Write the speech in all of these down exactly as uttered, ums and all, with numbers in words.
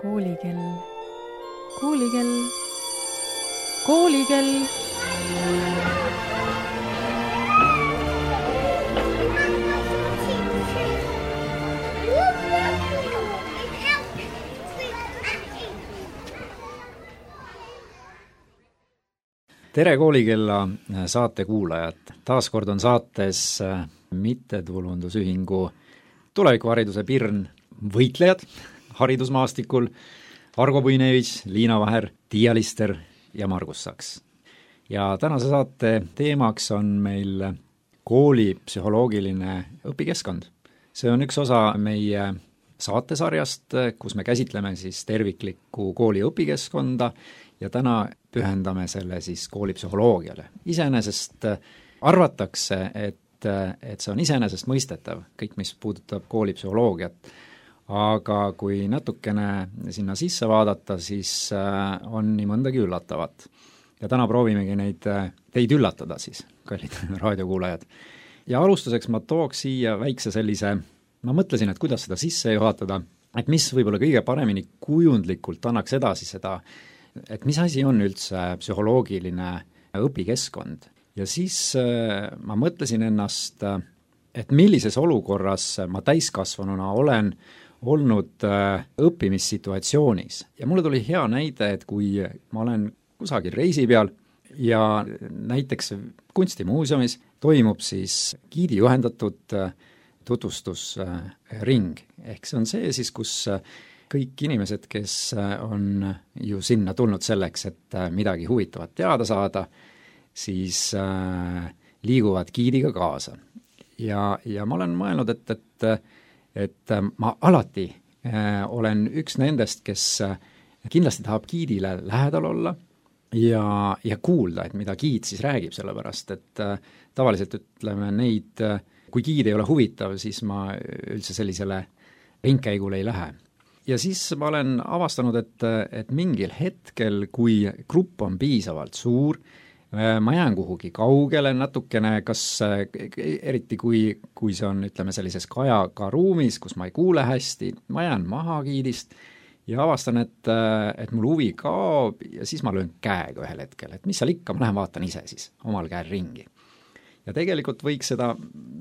Koolikell, koolikell, koolikell. Tere koolikella saate kuulajad. Taaskord on saates mittetulundusühingu tulevikuhariduse Pirn võitlejad haridusmaastikul Argo Puinevich, Liina Vaher, Tiia Lister ja Margus Saks. Ja tänase saate teemaks on meil kooli psühholoogiline õpikeskkond. See on üks osa meie saatesarjast, kus me käsitleme siis terviklikku kooli õpikeskkonda ja täna pühendame selle siis koolipsühholoogiale. Iseenesest arvatakse, et, et see on iseenesest mõistetav, kõik mis puudutab koolipsühholoogiat, aga kui natukene sinna sisse vaadata, siis on nii mõndagi üllatavat. Ja täna proovimegi neid, teid üllatada siis, kallid raadiokuulajad. Ja alustuseks ma tooks siia väikse sellise, ma mõtlesin, et kuidas seda sisse juhatada, et mis võib-olla kõige paremini kujundlikult annaks edasi seda, et mis asi on üldse psühholoogiline õpikeskkond. Ja siis ma mõtlesin ennast, et millises olukorras ma täiskasvanuna olen olnud õppimissituatsioonis. Ja mulle tuli hea näide, et kui ma olen kusagil reisi peal ja näiteks kunstimuuseumis toimub siis giidi juhendatud tutvustusring. Ehk see on see siis, kus kõik inimesed, kes on ju sinna tulnud selleks, et midagi huvitavat teada saada, siis äh, liiguvad giidiga kaasa. Ja, ja ma olen mõelnud, et, et, et ma alati äh, olen üks nendest, kes kindlasti tahab giidile lähedal olla ja, ja kuulda, et mida giid siis räägib, sellepärast, et äh, tavaliselt ütleme neid, kui giid ei ole huvitav, siis ma üldse sellisele ringkäigule ei lähe. Ja siis ma olen avastanud, et, et mingil hetkel, kui grupp on piisavalt suur, ma jään kuhugi kaugele natukene, kas eriti kui, kui see on, ütleme, sellises kajaga ruumis, kus ma ei kuule hästi, ma jään maha giidist ja avastan, et, et mul huvi kaob ja siis ma löön käega ühel hetkel, et mis seal ikka, ma lähen vaatan ise siis omal käel ringi. Ja tegelikult võiks seda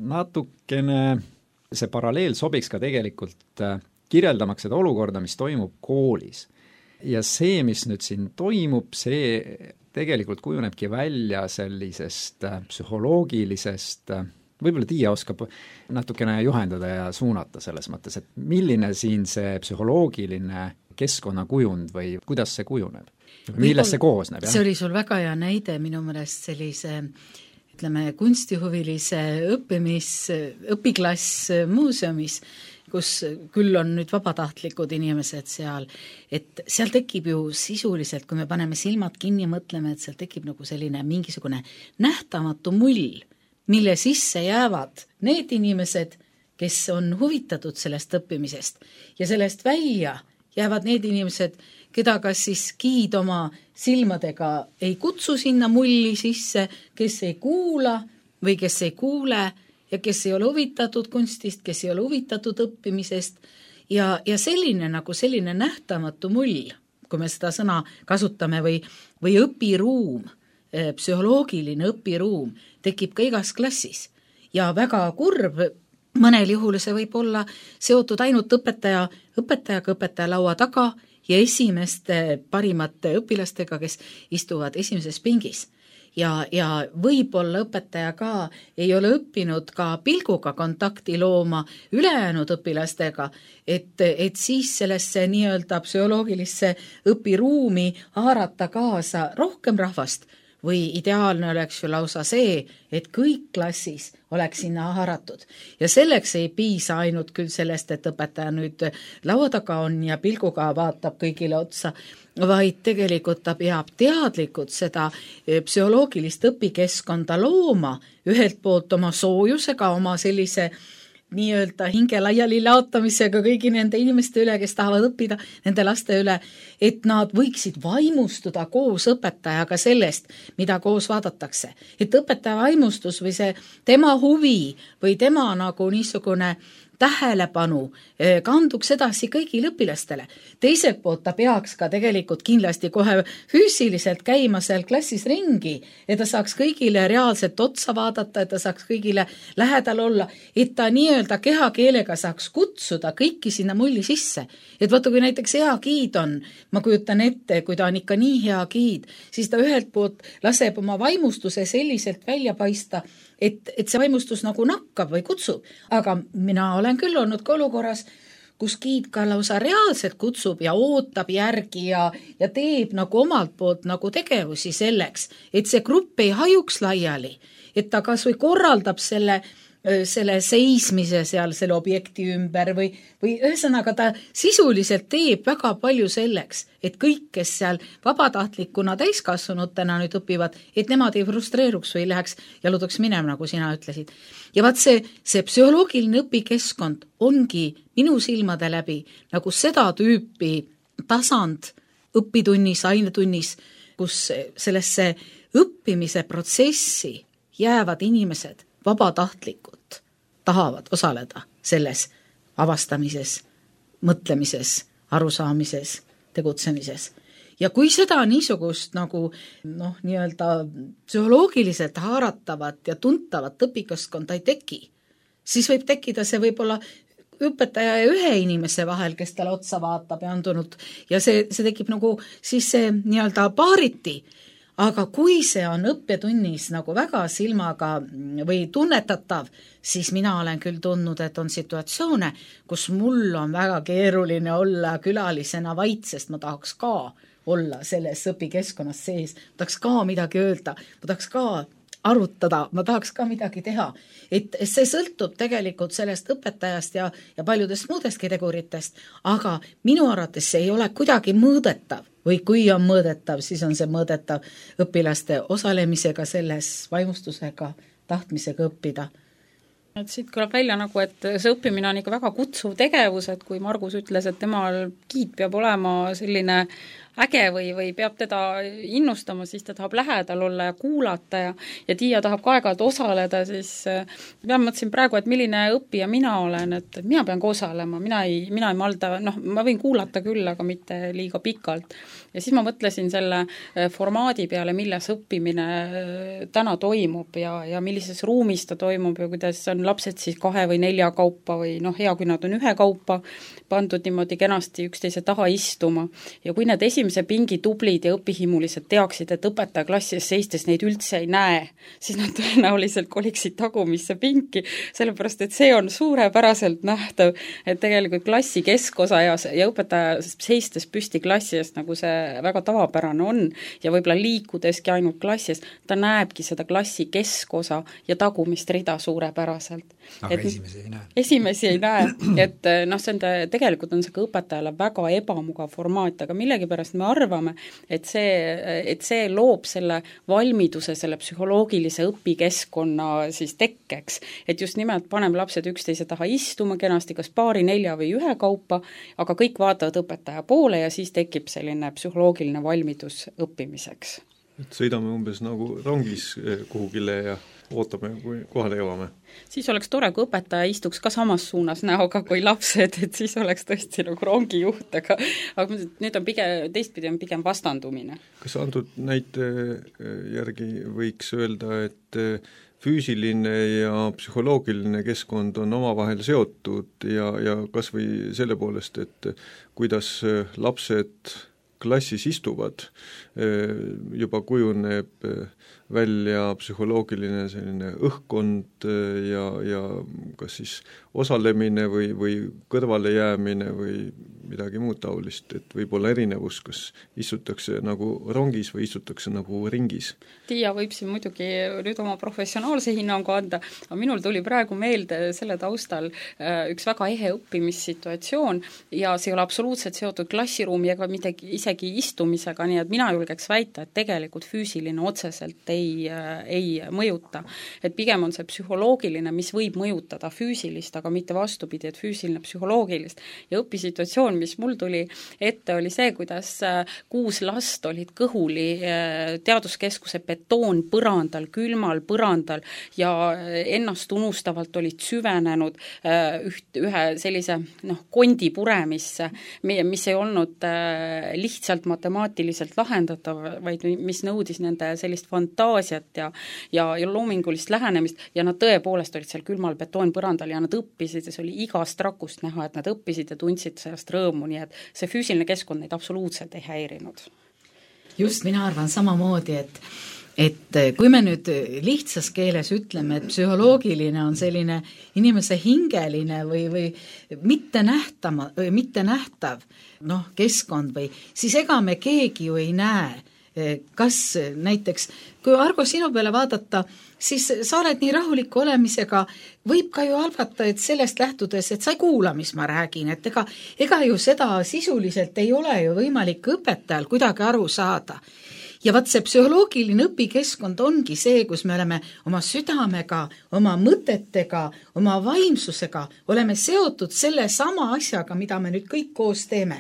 natukene, see paralleel sobiks ka tegelikult kirjeldamaks seda olukorda, mis toimub koolis. Ja see, mis nüüd siin toimub, see tegelikult kujunebki välja sellisest psühholoogilisest, võib-olla Tiia oskab natukene juhendada ja suunata selles mõttes, et milline siin see psühholoogiline keskkonnakujund või kuidas see kujuneb? Millest see koosneb? See oli sul väga hea näide minu meelest sellise ütleme, kunstihuvilise õppimis, õpiklass muuseumis, kus küll on nüüd vabatahtlikud inimesed seal, et seal tekib ju sisuliselt, kui me paneme silmad kinni ja mõtleme, et seal tekib nagu selline mingisugune nähtamatu mull, mille sisse jäävad need inimesed, kes on huvitatud sellest õppimisest ja sellest välja jäävad need inimesed, keda kas siis giid oma silmadega ei kutsu sinna mulli sisse, kes ei kuula või kes ei kuule ja kes ei ole huvitatud kunstist, kes ei ole huvitatud õppimisest ja, ja selline nagu selline nähtamatu mull, kui me seda sõna kasutame või, või õpiruum, psühholoogiline õpiruum tekib ka igas klassis ja väga kurb, mõnel juhul see võib olla seotud ainult õpetaja, õpetajaga õpetaja laua taga ja esimeste parimate õpilastega, kes istuvad esimeses pingis. Ja, ja võib-olla õpetaja ka ei ole õppinud ka pilguga kontakti looma ülejäänud õpilastega, et, et siis sellesse nii-öelda psühholoogilisse õpiruumi haarata kaasa rohkem rahvast või ideaalne oleks ju lausa see, et kõik klassis oleks sinna haaratud. Ja selleks ei piisa ainult küll sellest, et õpetaja nüüd laua taga on ja pilguga vaatab kõigile otsa, vaid tegelikult ta peab teadlikult seda psühholoogilist õpikeskkonda looma, ühelt poolt oma soojusega, oma sellise nii-öelda hinge laiali laotamisega kõigi nende inimeste üle, kes tahavad õppida, nende laste üle, et nad võiksid vaimustuda koos õpetajaga sellest, mida koos vaadatakse. Et õpetaja vaimustus või see tema huvi või tema nagu niisugune tähelepanu kanduks edasi kõigile õpilastele. Teiselt poolt ta peaks ka tegelikult kindlasti kohe füüsiliselt käima seal klassis ringi, et ta saaks kõigile reaalselt otsa vaadata, et ta saaks kõigile lähedal olla, et ta nii-öelda kehakeelega saaks kutsuda kõiki sinna mulli sisse. Et vaata, kui näiteks hea giid on, ma kujutan ette, kui ta on ikka nii hea giid, siis ta ühelt poolt laseb oma vaimustuse selliselt välja paista, et, et see vaimustus nagu nakkab või kutsub. Aga mina olen küll olnud ka olukorras, kus giid ka lausa reaalselt kutsub ja ootab järgi ja, ja teeb nagu omalt poolt nagu tegevusi selleks, et see grupp ei hajuks laiali, et ta kas või korraldab selle selle seismise seal selle objekti ümber või, või ühesõnaga ta sisuliselt teeb väga palju selleks, et kõik, kes seal vabatahtlikuna täiskasvanutena nüüd õpivad, et nemad ei frustreeruks või läheks jalutaks minema, nagu sina ütlesid. Ja vaat see, see psühholoogiline õpikeskkond ongi minu silmade läbi nagu seda tüüpi tasand õpitunnis, ainetunnis, kus sellesse õppimise protsessi jäävad inimesed vabatahtlikud tahavad osaleda selles avastamises, mõtlemises, arusaamises, tegutsemises. Ja kui seda niisugust nagu noh, nii-öelda psühholoogiliselt haaratavat ja tuntavat õpikeskkonda ei teki, siis võib tekkida see võib-olla õpetaja ja ühe inimese vahel, kes talle otsa vaatab ja on tulnud ja see, see tekib nagu siis see nii-öelda paariti. Aga kui see on õppetunnis nagu väga silmaga või tunnetatav, siis mina olen küll tundnud, et on situatsioone, kus mul on väga keeruline olla külalisena vait, sest ma tahaks ka olla selles õpikeskkonnas sees, ma tahaks ka midagi öelda, ma tahaks ka arutada, ma tahaks ka midagi teha. Et see sõltub tegelikult sellest õpetajast ja, ja paljudest muudestki teguritest, aga minu arvates see ei ole kuidagi mõõdetav. Või kui on mõõdetav, siis on see mõõdetav õpilaste osalemisega selles, vaimustusega, tahtmisega õppida. Et siit kõlab välja nagu, et see õppimine on ikka väga kutsuv tegevus, et kui Margus ütles, et temal giid peab olema selline äge või, või peab teda innustama, siis ta tahab lähedal olla ja kuulata ja, ja Tiia tahab ka aeg-ajalt osaleda, siis ma mõtlesin praegu, et milline õppija mina olen, et, et mina pean ka osalema, mina ei, mina ei malda, noh, ma võin kuulata küll, aga mitte liiga pikalt. Ja siis ma mõtlesin selle formaadi peale, milles õppimine täna toimub ja, ja millises ruumis ta toimub ja kuidas on lapsed siis kahe või nelja kaupa või noh, hea, kui nad on ühe kaupa pandud niimoodi kenasti üksteise taha istuma. Ja kui need esimese pingi tublid ja õpihimulised teaksid, et õpetaja klassis seistes neid üldse ei näe, siis nad tõenäoliselt koliksid tagumisse pinki, sellepärast et see on suurepäraselt nähtav, et tegelikult klassi keskosa ja, ja õpetaja seistes püsti klassi eest, nagu see väga tavapärane on ja võib-olla liikudeski ainult klassi eest, ta näebki seda klassi keskosa ja tagumist rida suurepäraselt. Aga et, esimesi ei näe. Esimesi ei näe, et noh, see on ta, tegelikult on see ka õpetajale väga ebamugav formaat, aga millegipärast me arvame, et see, et see loob selle valmiduse, selle psühholoogilise õpikeskkonna siis tekkeks, et just nimelt paneme lapsed üksteise taha istuma kenasti, kas paari, nelja või ühe kaupa, aga kõik vaatavad õpetaja poole ja siis tekib selline psühholoogiline valmidus õppimiseks. Et sõidame umbes nagu rongis kuhugile ja ootame, kui kohale jõuame. Siis oleks tore, kui õpetaja istuks ka samas suunas näoga kui lapsed, et siis oleks tõesti nagu rongijuht, aga, aga nüüd on pigem, teistpidi on pigem vastandumine. Kas antud näite järgi võiks öelda, et füüsiline ja psühholoogiline keskkond on omavahel seotud ja, ja kas või selle poolest, et kuidas lapsed klassis istuvad, juba kujuneb välja psühholoogiline selline õhkkond ja, ja kas siis osalemine või, või kõrvale jäämine või midagi muud taolist, et võib olla erinevus, kas istutakse nagu rongis või istutakse nagu ringis. Tiia võib siin muidugi nüüd oma professionaalse hinnangu anda, aga minul tuli praegu meelde selle taustal üks väga ehe õppimissituatsioon ja see ei ole absoluutselt seotud klassiruumi ega midagi isegi istumisega, nii et mina julgeks väita, et tegelikult füüsiline otseselt ei, ei mõjuta. Et pigem on see psühholoogiline, mis võib mõjutada füüsilist, aga mitte vastupidi, et füüsiline psühholoogilist. Ja õpisituatsioon, visioon, mis mul tuli ette, oli see, kuidas kuus last olid kõhuli teaduskeskuse betoonpõrandal, külmal põrandal ja ennast unustavalt olid süvenenud üht, ühe sellise noh, kondi puremisse, mis ei olnud lihtsalt matemaatiliselt lahendatav, vaid mis nõudis nende sellist fantaasiat ja, ja, ja loomingulist lähenemist ja nad tõepoolest olid seal külmal betoonpõrandal ja nad õppisid ja see oli igast rakust näha, et nad õppisid ja tundsid sellest rõõmu, nii et see füüsiline keskkond neid absoluutselt ei häirinud. Just, mina arvan samamoodi, et et kui me nüüd lihtsas keeles ütleme, et psühholoogiline on selline inimese hingeline või, või mitte nähtama, või mitte nähtav noh, keskkond või, siis ega me keegi ju ei näe, kas näiteks, kui Argo sinu peale vaadata, siis sa oled nii rahuliku olemisega, võib ka ju arvata, et sellest lähtudes, et sa ei kuula, mis ma räägin, et ega, ega ju seda sisuliselt ei ole ju võimalik õpetajal kuidagi aru saada. Ja vaat see psühholoogiline õpikeskkond ongi see, kus me oleme oma südamega, oma mõtetega, oma vaimsusega, oleme seotud selle sama asjaga, mida me nüüd kõik koos teeme.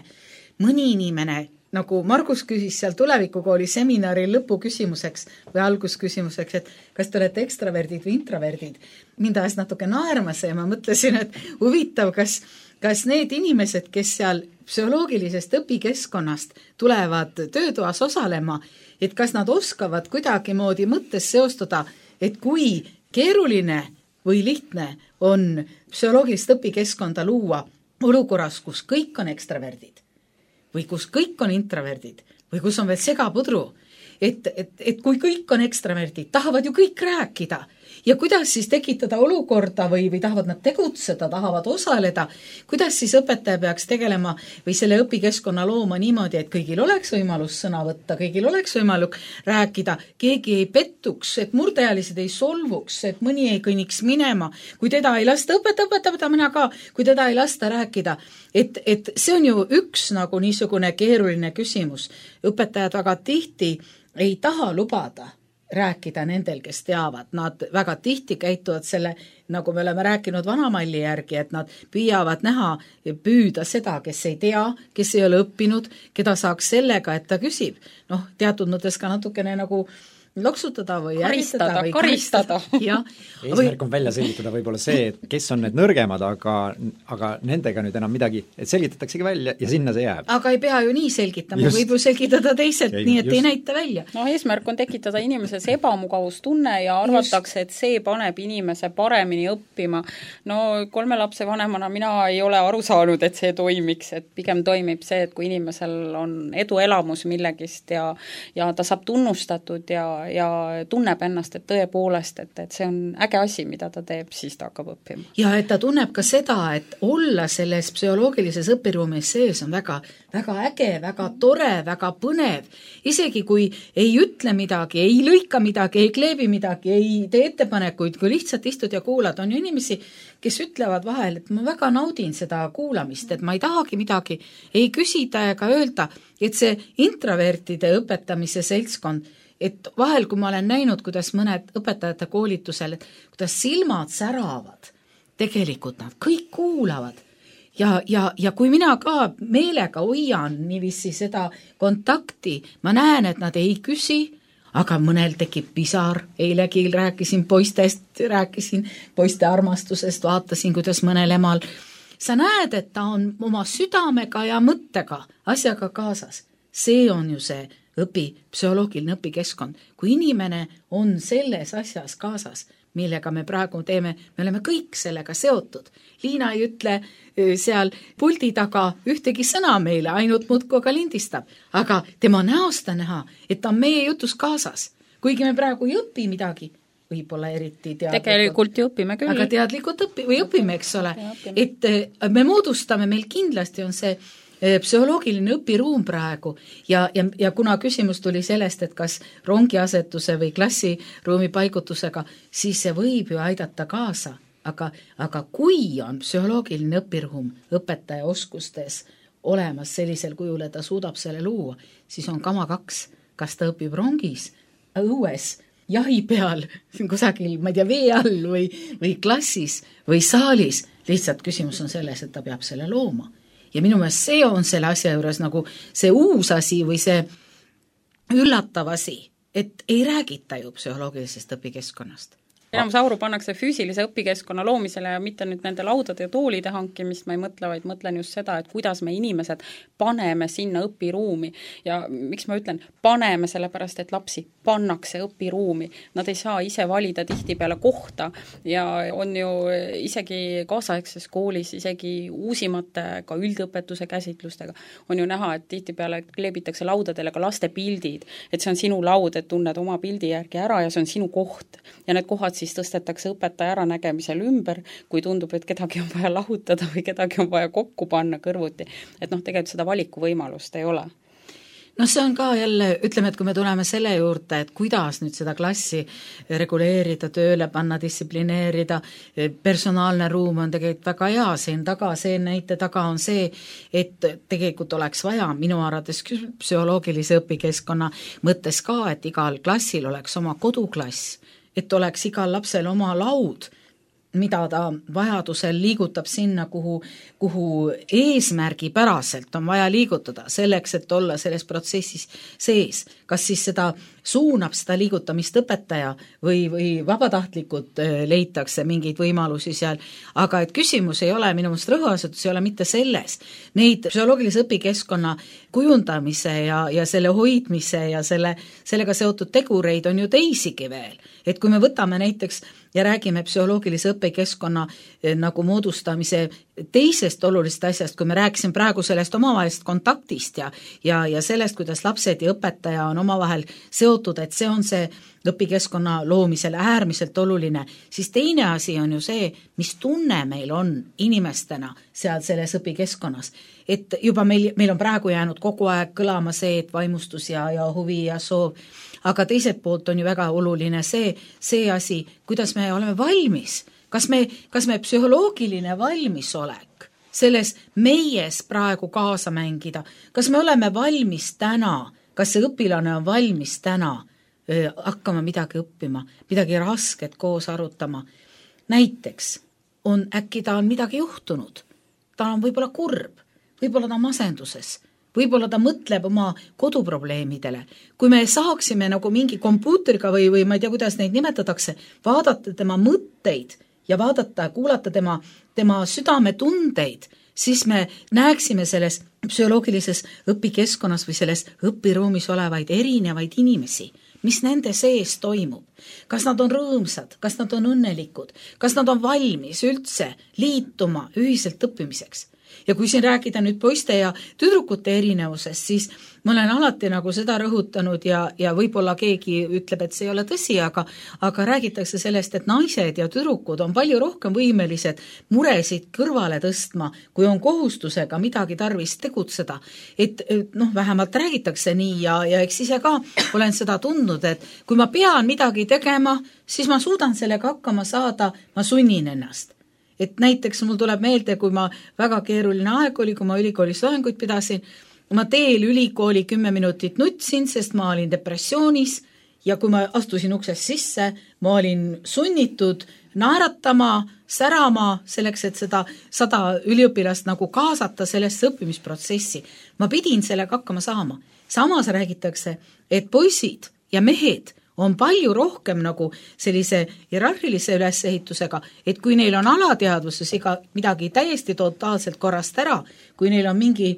Mõni inimene, nagu Margus küsis seal tulevikukooli seminari lõpuküsimuseks või algusküsimuseks, et kas te olete ekstraverdid või introverdid, mind ajas natuke naerma see ja ma mõtlesin, et huvitav, kas, kas need inimesed, kes seal psühholoogilisest õpikeskkonnast tulevad töötoas osalema, et kas nad oskavad kuidagi moodi mõttes seostada, et kui keeruline või lihtne on psühholoogilist õpikeskkonda luua olukorras, kus kõik on ekstraverdid või kus kõik on introverdid või kus on veel segapudru, et, et, et kui kõik on ekstraverdid, tahavad ju kõik rääkida ja kuidas siis tekitada olukorda või, või tahavad nad tegutseda, tahavad osaleda, kuidas siis õpetaja peaks tegelema või selle õpikeskkonna looma niimoodi, et kõigil oleks võimalus sõna võtta, kõigil oleks võimalik rääkida, keegi ei pettuks, et murdealised ei solvuks, et mõni ei kõnniks minema, kui teda ei lasta õpeta, õpeta, õpeta mina ka, kui teda ei lasta rääkida, et, et see on ju üks nagu niisugune keeruline küsimus. Õpetajad väga tihti ei taha lubada rääkida nendel, kes teavad. Nad väga tihti käituvad selle, nagu me oleme rääkinud vanamalli järgi, et nad püüavad näha ja püüda seda, kes ei tea, kes ei ole õppinud, keda saaks sellega, et ta küsib. Noh, teatud mõttes ka natukene nagu loksutada või karistada, või karistada. Ja, eesmärk on välja selgitada võib-olla see, et kes on need nõrgemad, aga, aga nendega nüüd enam midagi, et selgitataksegi välja ja sinna see jääb. Aga ei pea ju nii selgitama, võib ju selgitada teiselt, ei, nii et just. Ei näita välja. No eesmärk on tekitada inimeses ebamugavustunne ja arvatakse, et see paneb inimese paremini õppima. No kolme lapse vanemana mina ei ole aru saanud, et see toimiks, et pigem toimib see, et kui inimesel on eduelamus millegist ja, ja ta saab tunnustatud ja ja tunneb ennast, et tõepoolest, et, et see on äge asi, mida ta teeb, siis ta hakkab õppima. Ja et ta tunneb ka seda, et olla selles psühholoogilises õpiruumis sees on väga, väga äge, väga tore, väga põnev. Isegi kui ei ütle midagi, ei lõika midagi, ei kleebi midagi, ei tee ettepanekuid, kui lihtsalt istud ja kuulad, on ju inimesi, kes ütlevad vahel, et ma väga naudin seda kuulamist, et ma ei tahagi midagi ei küsida ega öelda, et see introvertide õpetamise seltskond, et vahel, kui ma olen näinud, kuidas mõned õpetajate koolitusel, et kuidas silmad säravad, tegelikult nad kõik kuulavad. Ja, ja, ja kui mina ka meelega hoian niiviisi seda kontakti, ma näen, et nad ei küsi, aga mõnel tekib pisar, eilegi rääkisin poistest, rääkisin poiste armastusest, vaatasin, kuidas mõnel emal. Sa näed, et ta on oma südamega ja mõttega asjaga kaasas. See on ju see õpi, psühholoogiline õpikeskkond. Kui inimene on selles asjas kaasas, millega me praegu teeme, me oleme kõik sellega seotud. Liina ei ütle seal puldi taga ühtegi sõna meile, ainult muudkui aga lindistab. Aga tema näost on näha, et ta on meie jutus kaasas. Kuigi me praegu ei õpi midagi, võib-olla eriti teadlikult. Tegelikult ju õpime küll. Aga teadlikult õpi, või õpime, eks ole. Et me moodustame, meil kindlasti on see psühholoogiline õpiruum praegu ja, ja, ja kuna küsimus tuli sellest, et kas rongiasetuse või klassiruumi paigutusega, siis see võib ju aidata kaasa, aga, aga kui on psühholoogiline õpiruum õpetaja oskustes olemas sellisel kujul, et ta suudab selle luua, siis on kama kaks, kas ta õpib rongis, õues, jahi peal, kusagil, ma ei tea, vee all või, või klassis või saalis, lihtsalt küsimus on selles, et ta peab selle looma. ja minu meelest see on selle asja juures nagu see uus asi või see üllatav asi, et ei räägita ju psühholoogilisest õpikeskkonnast. Enamus auru pannakse füüsilise õpikeskkonna loomisele ja mitte nüüd nende laudade ja toolide hankimist ma ei mõtle, vaid mõtlen just seda, et kuidas me inimesed paneme sinna õpiruumi ja miks ma ütlen, paneme sellepärast, et lapsi pannakse õpiruumi. Nad ei saa ise valida tihtipeale kohta ja on ju isegi kaasaegses koolis, isegi uusimate ka üldõpetuse käsitlustega on ju näha, et tihtipeale kleebitakse laudadele ka laste pildid, et see on sinu laud, et tunned oma pildi järgi ära ja see on sinu koht ja need kohad siis tõstetakse õpetaja äranägemisel ümber, kui tundub, et kedagi on vaja lahutada või kedagi on vaja kokku panna kõrvuti. Et noh, tegelikult seda valikuvõimalust ei ole. No see on ka jälle, ütleme, et kui me tuleme selle juurde, et kuidas nüüd seda klassi reguleerida, tööle panna, distsiplineerida, personaalne ruum on tegelikult väga hea, siin taga, see näite taga on see, et tegelikult oleks vaja minu arvates psühholoogilise õpikeskkonna mõttes ka, et igal klassil oleks oma koduklass, et oleks igal lapsel oma laud, mida ta vajadusel liigutab sinna, kuhu, kuhu eesmärgipäraselt on vaja liigutada, selleks, et olla selles protsessis sees. Kas siis seda suunab seda liigutamist õpetaja või, või vabatahtlikud leitakse mingeid võimalusi seal, aga et küsimus ei ole, minu meelest rõhuasetus ei ole mitte selles. Neid psühholoogilise õpikeskkonna kujundamise ja, ja selle hoidmise ja selle, sellega seotud tegureid on ju teisigi veel. Et kui me võtame näiteks ja räägime psühholoogilise õpikeskkonna nagu moodustamise teisest olulisest asjast, kui me rääkisime praegu sellest omavahelist kontaktist ja, ja, ja sellest, kuidas lapsed ja õpetaja on omavahel seotud, et see on see õpikeskkonna loomisel äärmiselt oluline, siis teine asi on ju see, mis tunne meil on inimestena seal selles õpikeskkonnas. Et juba meil, meil on praegu jäänud kogu aeg kõlama see, et vaimustus ja, ja huvi ja soov, aga teiselt poolt on ju väga oluline see, see asi, kuidas me oleme valmis. Kas me, kas me psühholoogiline valmisolek selles meies praegu kaasa mängida, kas me oleme valmis täna, kas see õpilane on valmis täna öö, hakkama midagi õppima, midagi rasket koos arutama. Näiteks on äkki ta on midagi juhtunud, ta on võib-olla kurb, võib-olla ta on masenduses, võib-olla ta mõtleb oma koduprobleemidele. Kui me saaksime nagu mingi kompuutriga või, või ma ei tea, kuidas neid nimetatakse, vaadata tema mõtteid ja vaadata, kuulata tema, tema südametundeid, siis me näeksime selles psühholoogilises õpikeskkonnas või selles õpiruumis olevaid erinevaid inimesi, mis nende sees toimub. Kas nad on rõõmsad, kas nad on õnnelikud, kas nad on valmis üldse liituma ühiselt õppimiseks. Ja kui siin rääkida nüüd poiste ja tüdrukute erinevusest, siis ma olen alati nagu seda rõhutanud ja, ja võib-olla keegi ütleb, et see ei ole tõsi, aga, aga räägitakse sellest, et naised ja tüdrukud on palju rohkem võimelised muresid kõrvale tõstma, kui on kohustusega midagi tarvis tegutseda. Et noh, vähemalt räägitakse nii ja, ja eks ise ka olen seda tundnud, et kui ma pean midagi tegema, siis ma suudan sellega hakkama saada, ma sunnin ennast. Et näiteks mul tuleb meelde, kui ma väga keeruline aeg oli, kui ma ülikoolis loenguid pidasin, ma teel ülikooli kümme minutit nutsin, sest ma olin depressioonis ja kui ma astusin uksest sisse, ma olin sunnitud naeratama, särama selleks, et seda sada üliõpilast nagu kaasata sellesse õppimisprotsessi. Ma pidin sellega hakkama saama. Samas räägitakse, et poisid ja mehed on palju rohkem nagu sellise hierarhilise ülesehitusega, et kui neil on alateadvuses iga midagi täiesti totaalselt korrast ära, kui neil on mingi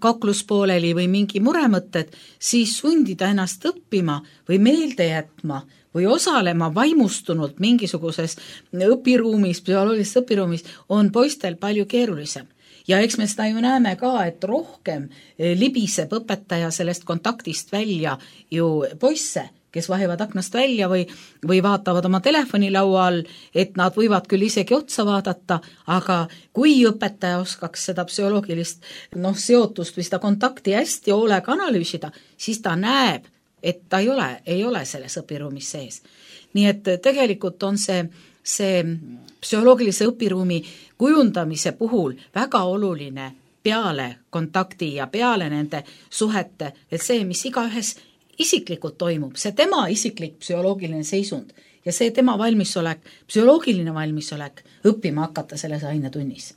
kakluspooleli või mingi muremõtted, siis sundida ennast õppima või meelde jätma või osalema vaimustunult mingisuguses õpiruumis, psühholoogilises õpiruumis on poistel palju keerulisem. Ja eks me seda ju näeme ka, et rohkem libiseb õpetaja sellest kontaktist välja ju poisse, kes vahivad aknast välja või, või vaatavad oma telefonilaua all, et nad võivad küll isegi otsa vaadata, aga kui õpetaja oskaks seda psühholoogilist noh, seotust või seda kontakti hästi hoolega analüüsida, siis ta näeb, et ta ei ole, ei ole selles õpiruumis sees. Nii et tegelikult on see, see psühholoogilise õpiruumi kujundamise puhul väga oluline peale kontakti ja peale nende suhete, et see, mis igaühes isiklikult toimub, see tema isiklik psühholoogiline seisund ja see tema valmisolek, psühholoogiline valmisolek õppima hakata selles ainetunnis.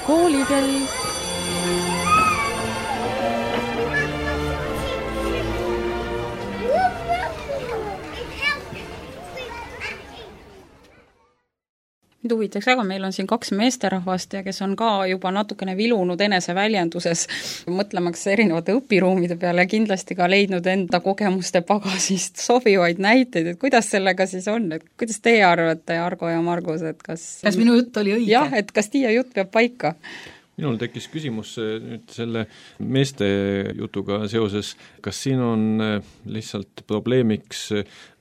Koolikell. Mind huvitaks väga, meil on siin kaks meesterahvast ja kes on ka juba natukene vilunud eneseväljenduses, mõtlemaks erinevate õpiruumide peale ja kindlasti ka leidnud enda kogemuste pagasist sobivaid näiteid, et kuidas sellega siis on, et kuidas teie arvate, Argo ja Margus, et kas kas minu jutt oli õige? jah, et kas Tiia jutt peab paika? Minul tekkis küsimus nüüd selle meeste jutuga seoses, kas siin on lihtsalt probleemiks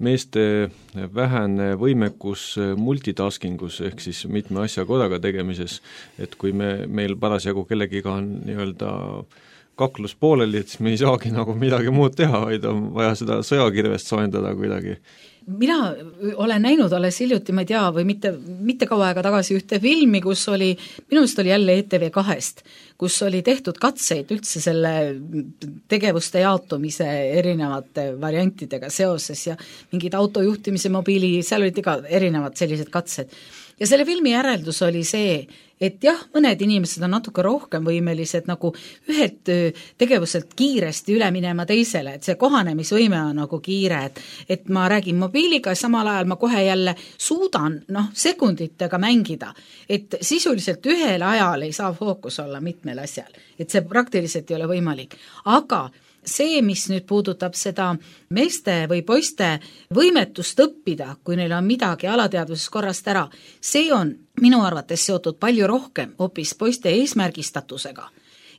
meeste vähene võimekus multitaskingus ehk siis mitme asja korraga tegemises, et kui me, meil parasjagu kellegiga on nii-öelda kaklus pooleli, et siis me ei saagi nagu midagi muud teha, vaid on vaja seda sõjakirvest soojendada kuidagi. Mina olen näinud alles hiljuti, ma ei tea, või mitte, mitte kaua aega tagasi ühte filmi, kus oli, minu meelest oli jälle E T V kahest, kus oli tehtud katseid üldse selle tegevuste jaotumise erinevate variantidega seoses ja mingid autojuhtimise mobiili, seal olid iga erinevad sellised katsed. Ja selle filmi järeldus oli see, et jah, mõned inimesed on natuke rohkem võimelised nagu ühed tegevuselt kiiresti üle minema teisele, et see kohanemisvõime on nagu kiire, et, et ma räägin mobiiliga ja samal ajal ma kohe jälle suudan noh, sekunditega mängida, et sisuliselt ühel ajal ei saa fookus olla mitmel asjal, et see praktiliselt ei ole võimalik, aga see, mis nüüd puudutab seda meeste või poiste võimetust õppida, kui neil on midagi alateadvuses korrast ära, see on minu arvates seotud palju rohkem hoopis poiste eesmärgistatusega.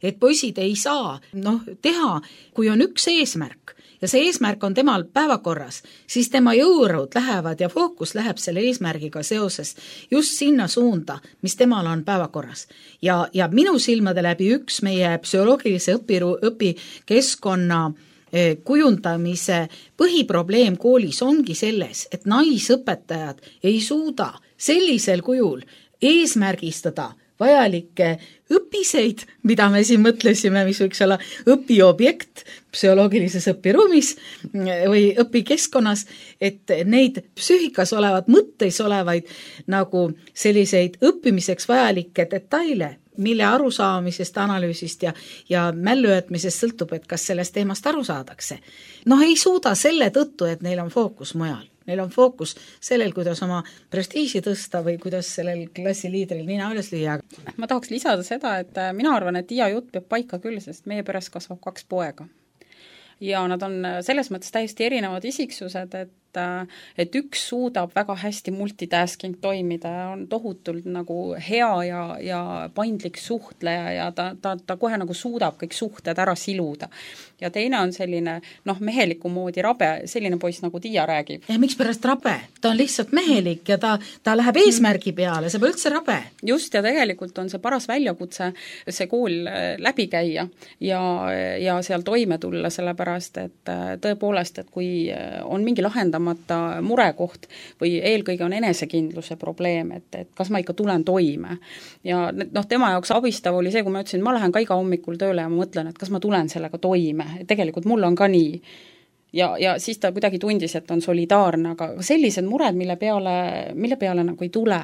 Et poisid ei saa noh, teha, kui on üks eesmärk ja see eesmärk on temal päevakorras, siis tema jõurõud lähevad ja fookus läheb selle eesmärgiga seoses just sinna suunda, mis temal on päevakorras. Ja, ja minu silmade läbi üks meie psühholoogilise õpiru, õpikeskkonna kujundamise põhiprobleem koolis ongi selles, et naisõpetajad ei suuda sellisel kujul eesmärgistada vajalikke õpiseid, mida me siin mõtlesime, mis võiks olla õpiobjekt psühholoogilises õpiruumis või õpikeskkonnas, et neid psüühikas olevad, mõtteis olevaid nagu selliseid õppimiseks vajalikke detaile, mille arusaamisest, analüüsist ja, ja mällujätmisest sõltub, et kas sellest teemast aru saadakse. Noh, ei suuda selle tõttu, et neil on fookus mujal. Neil on fookus sellel, kuidas oma prestiisi tõsta või kuidas sellel klassiliidril nina üles lüüa. Ma tahaks lisada seda, et mina arvan, et Tiia jutt peab paika küll, sest meie peres kasvab kaks poega. Ja nad on selles mõttes täiesti erinevad isiksused, et et üks suudab väga hästi multitasking toimida ja on tohutult nagu hea ja, ja paindlik suhtleja ja ta, ta, ta kohe nagu suudab kõik suhted ära siluda. Ja teine on selline noh, meheliku moodi rabe, selline poiss nagu Tiia räägib. Ja miks pärast rabe? Ta on lihtsalt mehelik ja ta, ta läheb eesmärgi peale, see pole üldse rabe. Just, ja tegelikult on see paras väljakutse see kool läbi käia ja, ja seal toime tulla, sellepärast et tõepoolest, et kui on mingi lahendamata murekoht või eelkõige on enesekindluse probleem, et, et kas ma ikka tulen toime. Ja noh, tema jaoks abistav oli see, kui ma ütlesin, ma lähen ka iga hommikul tööle ja ma mõtlen, et kas ma tulen sellega toime. Tegelikult mul on ka nii. Ja, ja siis ta kuidagi tundis, et on solidaarne, aga sellised mured, mille peale, mille peale nagu ei tule.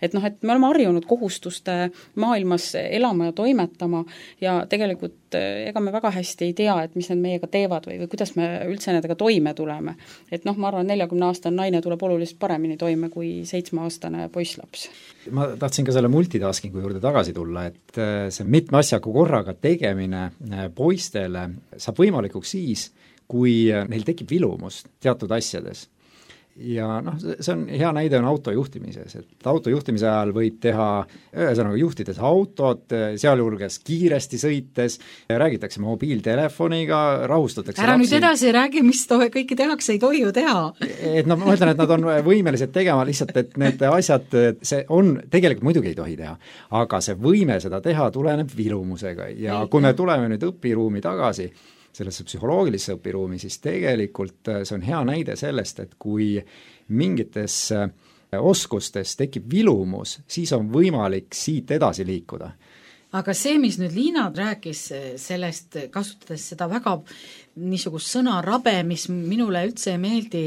Et noh, et me oleme harjunud kohustuste maailmas elama ja toimetama ja tegelikult ega me väga hästi ei tea, et mis need meiega teevad või, või kuidas me üldse nendega toime tuleme. Et noh, ma arvan, neljakümne aastane naine tuleb oluliselt paremini toime kui seitsmeaastane poisslaps. Ma tahtsin ka selle multitaskingu juurde tagasi tulla, et see mitme asjaga korraga tegemine poistele saab võimalikuks siis, kui neil tekib vilumus teatud asjades. Ja noh, see on hea näide on autojuhtimises, et autojuhtimise ajal võib teha, ühesõnaga juhtides autot, sealjuures kiiresti sõites, räägitakse mobiiltelefoniga, rahustatakse ära lapsi. nüüd edasi räägi, mis tohe, kõiki tehakse, ei tohi ju teha. Et no ma mõtlen, et nad on võimelised tegema lihtsalt, et need asjad, see on, tegelikult muidugi ei tohi teha, aga see võime seda teha tuleneb vilumusega ja kui me tuleme nüüd õpiruumi tagasi, sellesse psühholoogilisse õpiruumi, siis tegelikult see on hea näide sellest, et kui mingites oskustes tekib vilumus, siis on võimalik siit edasi liikuda. Aga see, mis nüüd Liina rääkis sellest, kasutades seda väga niisugust sõna rabe, mis minule üldse ei meeldi,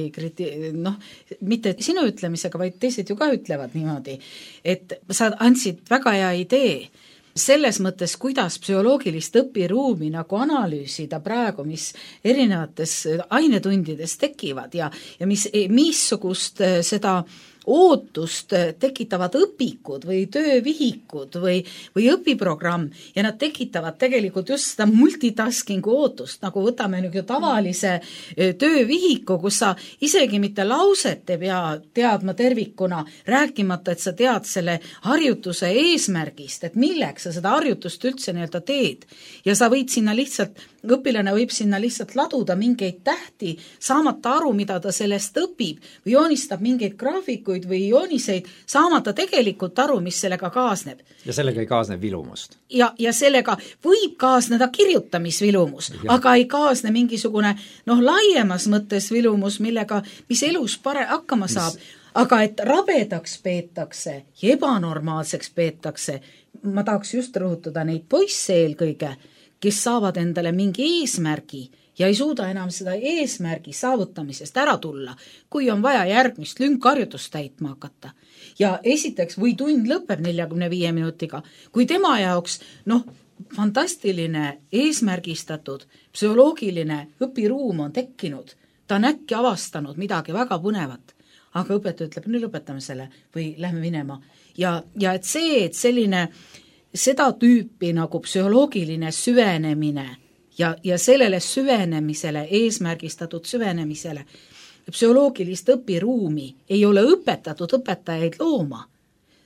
noh, mitte sinu ütlemisega, vaid teised ju ka ütlevad niimoodi, et sa andsid väga hea idee, selles mõttes, kuidas psühholoogilist õpiruumi nagu analüüsida praegu, mis erinevates ainetundides tekivad ja, ja mis, missugust seda ootust tekitavad õpikud või töövihikud või, või õpiprogramm ja nad tekitavad tegelikult just seda multitaskingu ootust, nagu võtame nüüd tavalise töövihiku, kus sa isegi mitte lauset ei pea teadma tervikuna, rääkimata, et sa tead selle harjutuse eesmärgist, et milleks sa seda harjutust üldse nii-öelda teed ja sa võid sinna lihtsalt õpilane võib sinna lihtsalt laduda mingeid tähti, saamata aru, mida ta sellest õpib või joonistab mingeid graafikuid või jooniseid, saamata tegelikult aru, mis sellega kaasneb. Ja sellega ei kaasne vilumust. Ja, ja sellega võib kaasneda kirjutamisvilumus, ja. Aga ei kaasne mingisugune noh, laiemas mõttes vilumus, millega, mis elus pare hakkama saab. Mis... Aga et rabedaks peetakse ja ebanormaalseks peetakse, ma tahaks just rõhutada neid poisse eelkõige, kes saavad endale mingi eesmärgi ja ei suuda enam seda eesmärgi saavutamisest ära tulla, kui on vaja järgmist lünkharjutust täitma hakata. Ja esiteks, või tund lõpeb neljakümne viie minutiga, kui tema jaoks, noh, fantastiline, eesmärgistatud, psühholoogiline õpiruum on tekkinud, ta on äkki avastanud midagi väga põnevat, aga õpetaja ütleb, nüüd lõpetame selle või lähme minema. Ja, ja et see, et selline seda tüüpi nagu psühholoogiline süvenemine ja, ja sellele süvenemisele, eesmärgistatud süvenemisele, psühholoogilist õpiruumi ei ole õpetatud õpetajaid looma.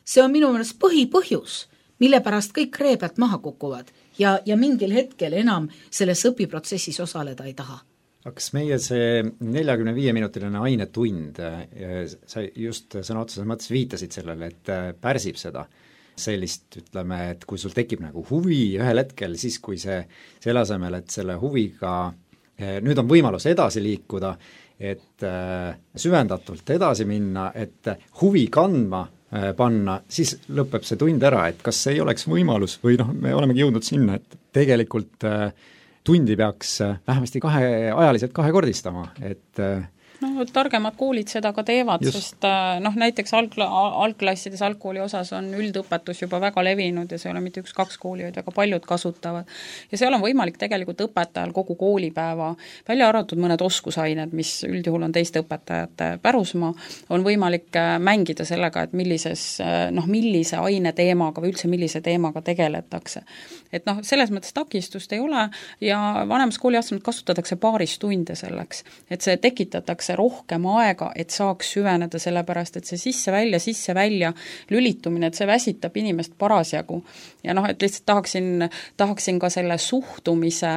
See on minu meelest põhipõhjus, mille pärast kõik reebelt maha kukuvad ja, ja mingil hetkel enam selles õpiprotsessis osaleda ei taha. Kas meie see neljakümne viie minutiline ainetund, sa just sõna otseses mõttes viitasid sellele, et pärsib seda, sellist, ütleme, et kui sul tekib nagu huvi ühel hetkel, siis kui see, selle asemel, et selle huviga, nüüd on võimalus edasi liikuda, et süvendatult edasi minna, et huvi kandma panna, siis lõpeb see tund ära, et kas ei oleks võimalus või noh, me olemegi jõudnud sinna, et tegelikult tundi peaks vähemasti kahe, ajaliselt kahekordistama, et no targemad koolid seda ka teevad, just. Sest noh, näiteks alg- algklassides algkooli osas on üldõpetus juba väga levinud ja see ei ole mitte üks-kaks kooli, vaid väga paljud kasutavad. Ja seal on võimalik tegelikult õpetajal kogu koolipäeva, välja arvatud mõned oskusained, mis üldjuhul on teiste õpetajate pärusmaa, on võimalik mängida sellega, et millises, noh, millise aine teemaga või üldse millise teemaga tegeletakse. Et noh, selles mõttes takistust ei ole ja vanemas kooliastmed kasutatakse paaris tunde selleks, et see tekitatakse rohkem aega, et saaks süveneda, sellepärast, et see sisse-välja, sisse-välja lülitumine, et see väsitab inimest parasjagu. Ja noh, et lihtsalt tahaksin, tahaksin ka selle suhtumise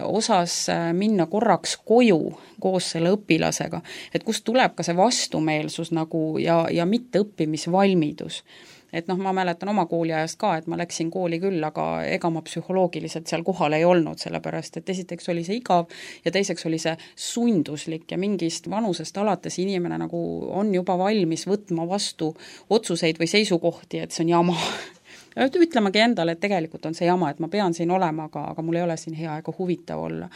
osas minna korraks koju koos selle õpilasega, et kust tuleb ka see vastumeelsus nagu ja, ja mitte õppimisvalmidus. Et noh, ma mäletan oma kooliajast ka, et ma läksin kooli küll, aga ega ma psühholoogiliselt seal kohal ei olnud, sellepärast, et esiteks oli see igav ja teiseks oli see sunduslik ja mingist vanusest alates inimene nagu on juba valmis võtma vastu otsuseid või seisukohti, et see on jama. Ütlemegi endale, et tegelikult on see jama, et ma pean siin olema, aga, aga mul ei ole siin hea ega huvitav olla.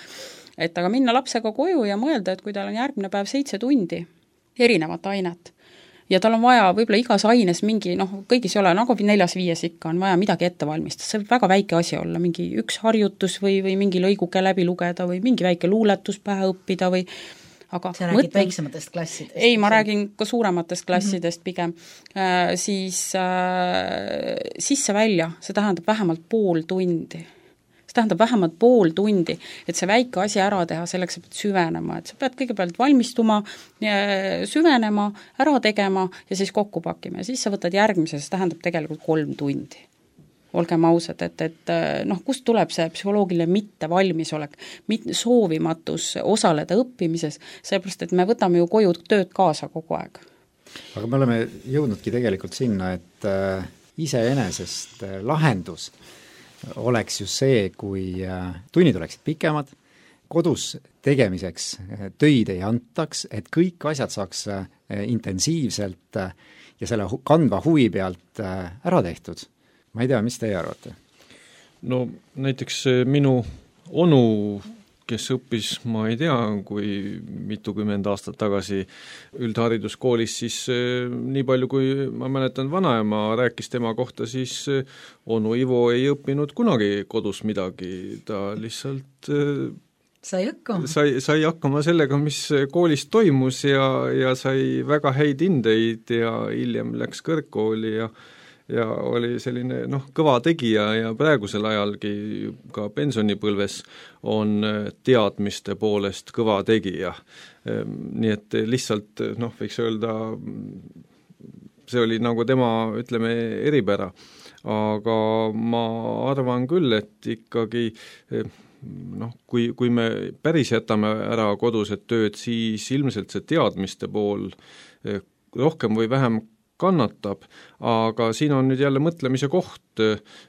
Et aga minna lapsega koju ja mõelda, et kui tal on järgmine päev seitse tundi erinevat ainet, ja tal on vaja võib-olla igas aines mingi, noh, kõigis ei ole, nagu neljas-viies ikka on vaja midagi ette valmistada, see võib väga väike asi olla, mingi üks harjutus või, või mingi lõiguke läbi lugeda või mingi väike luuletus pähe õppida või aga sa räägid mõtlen, väiksematest klassidest? Ei, ma räägin ka suurematest klassidest mm-hmm. pigem. Äh, siis äh, sisse-välja, see tähendab vähemalt pool tundi. See tähendab vähemalt pool tundi, et see väike asi ära teha, selleks sa pead süvenema, et sa pead kõigepealt valmistuma, süvenema, ära tegema ja siis kokku pakkima ja siis sa võtad järgmise, see tähendab tegelikult kolm tundi. Olgem ausad, et, et noh, kust tuleb see psühholoogiline mitte valmisolek, mitte soovimatus osaleda õppimises, sellepärast, et me võtame ju koju tööd kaasa kogu aeg. Aga me oleme jõudnudki tegelikult sinna, et äh, iseenesest äh, lahendus oleks ju see, kui tunnid oleksid pikemad, kodus tegemiseks töid ei antaks, et kõik asjad saaks intensiivselt ja selle kandva huvi pealt ära tehtud. Ma ei tea, mis teie arvate? No näiteks minu onu kes õppis, ma ei tea, kui mitukümmend aastat tagasi üldhariduskoolis, siis nii palju, kui ma mäletan, vanaema rääkis tema kohta, siis onu Ivo ei õppinud kunagi kodus midagi, ta lihtsalt sai hakkama. Sai, sai hakkama sellega, mis koolis toimus ja, ja sai väga häid hindeid ja hiljem läks kõrgkooli ja ja oli selline noh, kõva tegija ja praegusel ajalgi ka pensionipõlves on teadmiste poolest kõva tegija. Nii et lihtsalt noh, võiks öelda, see oli nagu tema, ütleme, eripära. Aga ma arvan küll, et ikkagi noh, kui, kui me päris jätame ära kodused tööd, siis ilmselt see teadmiste pool rohkem või vähem kannatab, aga siin on nüüd jälle mõtlemise koht,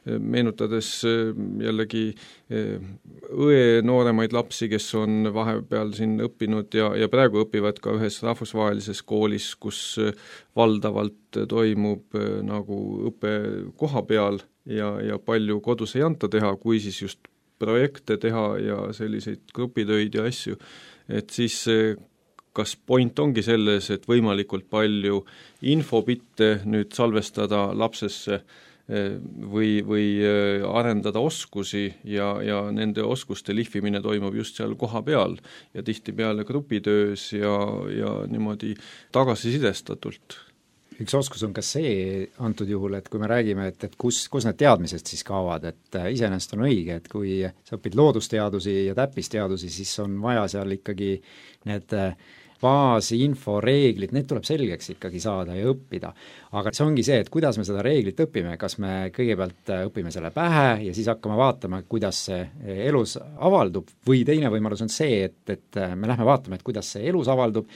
meenutades jällegi õe nooremaid lapsi, kes on vahepeal siin õppinud ja, ja praegu õpivad ka ühes rahvusvahelises koolis, kus valdavalt toimub nagu õpe koha peal ja, ja palju kodus ei anta teha, kui siis just projekte teha ja selliseid grupitöid ja asju, et siis kas point ongi selles, et võimalikult palju infobitte nüüd salvestada lapsesse või, või arendada oskusi ja, ja nende oskuste lihvimine toimub just seal koha peal ja tihtipeale grupitöös ja, ja niimoodi tagasisidestatult. Üks oskus on ka see antud juhul, et kui me räägime, et, et kus, kus need teadmised siis kaovad, et iseenesest on õige, et kui sa õpid loodusteadusi ja täppisteadusi, siis on vaja seal ikkagi need baasi, info, reeglid, need tuleb selgeks ikkagi saada ja õppida. Aga see ongi see, et kuidas me seda reeglit õpime, kas me kõigepealt õpime selle pähe ja siis hakkame vaatama, kuidas see elus avaldub, või teine võimalus on see, et, et me lähme vaatama, et kuidas see elus avaldub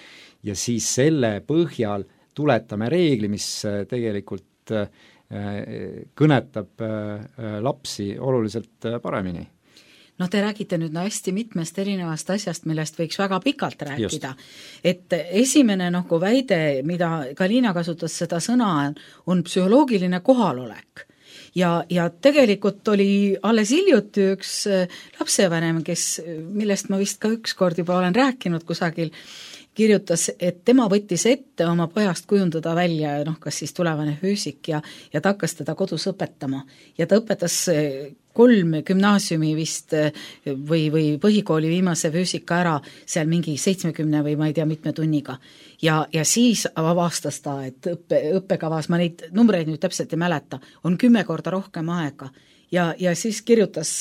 ja siis selle põhjal tuletame reegli, mis tegelikult kõnetab lapsi oluliselt paremini. No te räägite nüüd no hästi mitmest erinevast asjast, millest võiks väga pikalt rääkida. Just. Et esimene nagu väide, mida Galina kasutas seda sõna, on psühholoogiline kohalolek. Ja, ja tegelikult oli alles hiljuti üks lapsevanem, kes, millest ma vist ka ükskord juba olen rääkinud kusagil, kirjutas, et tema võttis ette oma pojast kujundada välja, noh, kas siis tulevane füüsik ja, ja ta hakkas teda kodus õpetama. Ja ta õpetas kolm gümnaasiumi vist või, või põhikooli viimase füüsika ära seal mingi seitsmekümne või ma ei tea mitme tunniga. Ja, ja siis avastas ta, et õppe, õppekavas, ma neid numbreid nüüd täpselt ei mäleta, on kümme korda rohkem aega. Ja, ja siis kirjutas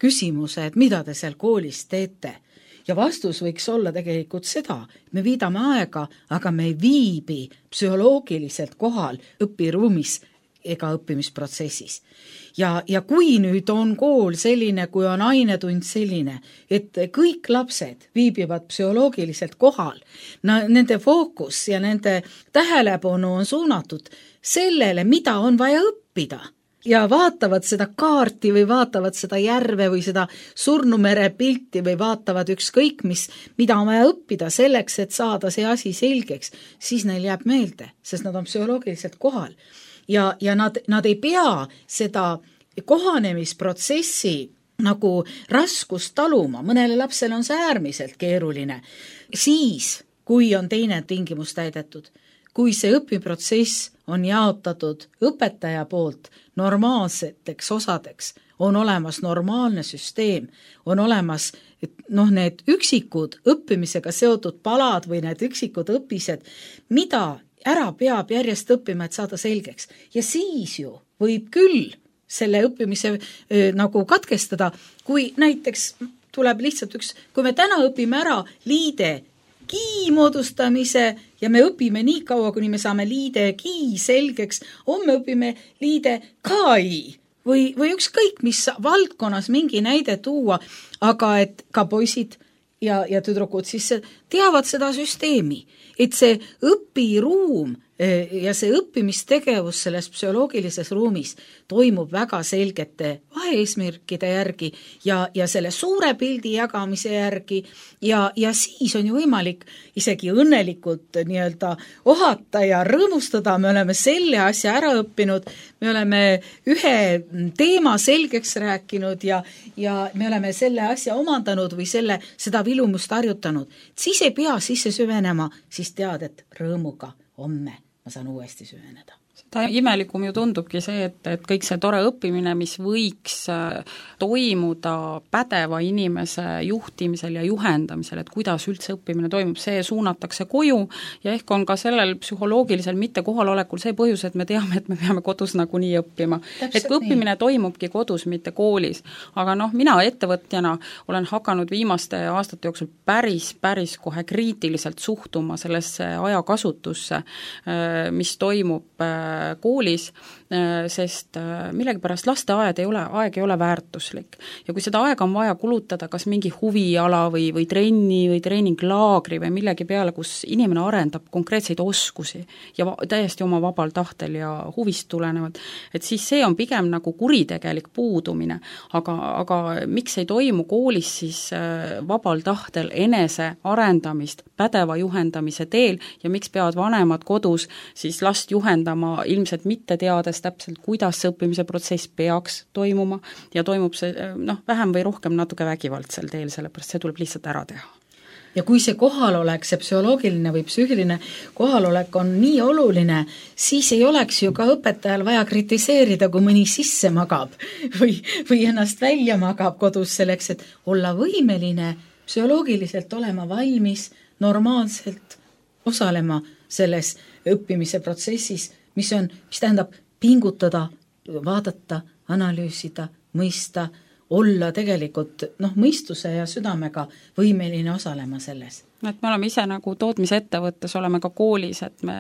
küsimuse, et mida te seal koolis teete. Ja vastus võiks olla tegelikult seda, me viidame aega, aga me ei viibi psühholoogiliselt kohal õpiruumis ega õppimisprotsessis. Ja, ja kui nüüd on kool selline, kui on ainetund selline, et kõik lapsed viibivad psühholoogiliselt kohal, no, nende fookus ja nende tähelepanu on suunatud sellele, mida on vaja õppida. Ja vaatavad seda kaarti või vaatavad seda järve või seda surnumere pilti või vaatavad ükskõik mis, mida on vaja õppida selleks, et saada see asi selgeks, siis neil jääb meelde, sest nad on psühholoogiliselt kohal. Ja, ja nad, nad ei pea seda kohanemisprotsessi nagu raskust taluma, mõnele lapsele on see äärmiselt keeruline. Siis, kui on teine tingimus täidetud, kui see õpiprotsess on jaotatud õpetaja poolt normaalseteks osadeks, on olemas normaalne süsteem, on olemas noh, need üksikud õppimisega seotud palad või need üksikud õpised, mida ära peab järjest õppima, et saada selgeks. Ja siis ju võib küll selle õppimise äh, nagu katkestada, kui näiteks tuleb lihtsalt üks, kui me täna õpime ära liide ki moodustamise ja me õpime nii kaua, kuni me saame liide ki selgeks, homme õpime liide kai või, või ükskõik, mis valdkonnas mingi näide tuua, aga et ka poisid ja, ja tüdrukud siis teavad seda süsteemi, et see õpiruum ja see õppimistegevus selles psühholoogilises ruumis toimub väga selgete vaheeesmärkide järgi ja, ja selle suure pildi jagamise järgi ja, ja siis on ju võimalik isegi õnnelikult nii-öelda ohata ja rõõmustada, me oleme selle asja ära õppinud, me oleme ühe teema selgeks rääkinud ja, ja me oleme selle asja omandanud või selle, seda vilumust harjutanud. Siis ei pea sisse süvenema, siis tead, et rõõmuga homme ma saan uuesti süveneda. Seda imelikum ju tundubki see, et, et kõik see tore õppimine, mis võiks toimuda pädeva inimese juhtimisel ja juhendamisel, et kuidas üldse õppimine toimub, see suunatakse koju ja ehk on ka sellel psühholoogilisel mitte kohalolekul see põhjus, et me teame, et me peame kodus nagunii õppima. Täpselt et kui õppimine nii. Toimubki kodus, mitte koolis. Aga noh, mina ettevõtjana olen hakanud viimaste aastate jooksul päris, päris kohe kriitiliselt suhtuma sellesse ajakasutusse, mis toimub koolis, sest millegipärast lasteaed ei ole, aeg ei ole väärtuslik. Ja kui seda aega on vaja kulutada kas mingi huviala või, või trenni või treeninglaagri või millegi peale, kus inimene arendab konkreetseid oskusi ja va- täiesti oma vabal tahtel ja huvist tulenevalt, et siis see on pigem nagu kuritegelik puudumine. Aga, aga miks ei toimu koolis siis vabal tahtel enese arendamist pädeva juhendamise teel ja miks peavad vanemad kodus siis last juhendama ilmselt mitte teades täpselt, kuidas see õppimise protsess peaks toimuma ja toimub see noh, vähem või rohkem natuke vägivaldsel teel, sellepärast see tuleb lihtsalt ära teha. Ja kui see kohalolek, see psühholoogiline või psüühiline kohalolek on nii oluline, siis ei oleks ju ka õpetajal vaja kritiseerida, kui mõni sisse magab või, või ennast välja magab kodus selleks, et olla võimeline psühholoogiliselt olema valmis normaalselt osalema selles õppimise protsessis, mis on, mis tähendab pingutada, vaadata, analüüsida, mõista, olla tegelikult noh, mõistuse ja südamega võimeline osalema selles. Et me oleme ise nagu tootmisettevõttes, oleme ka koolis, et me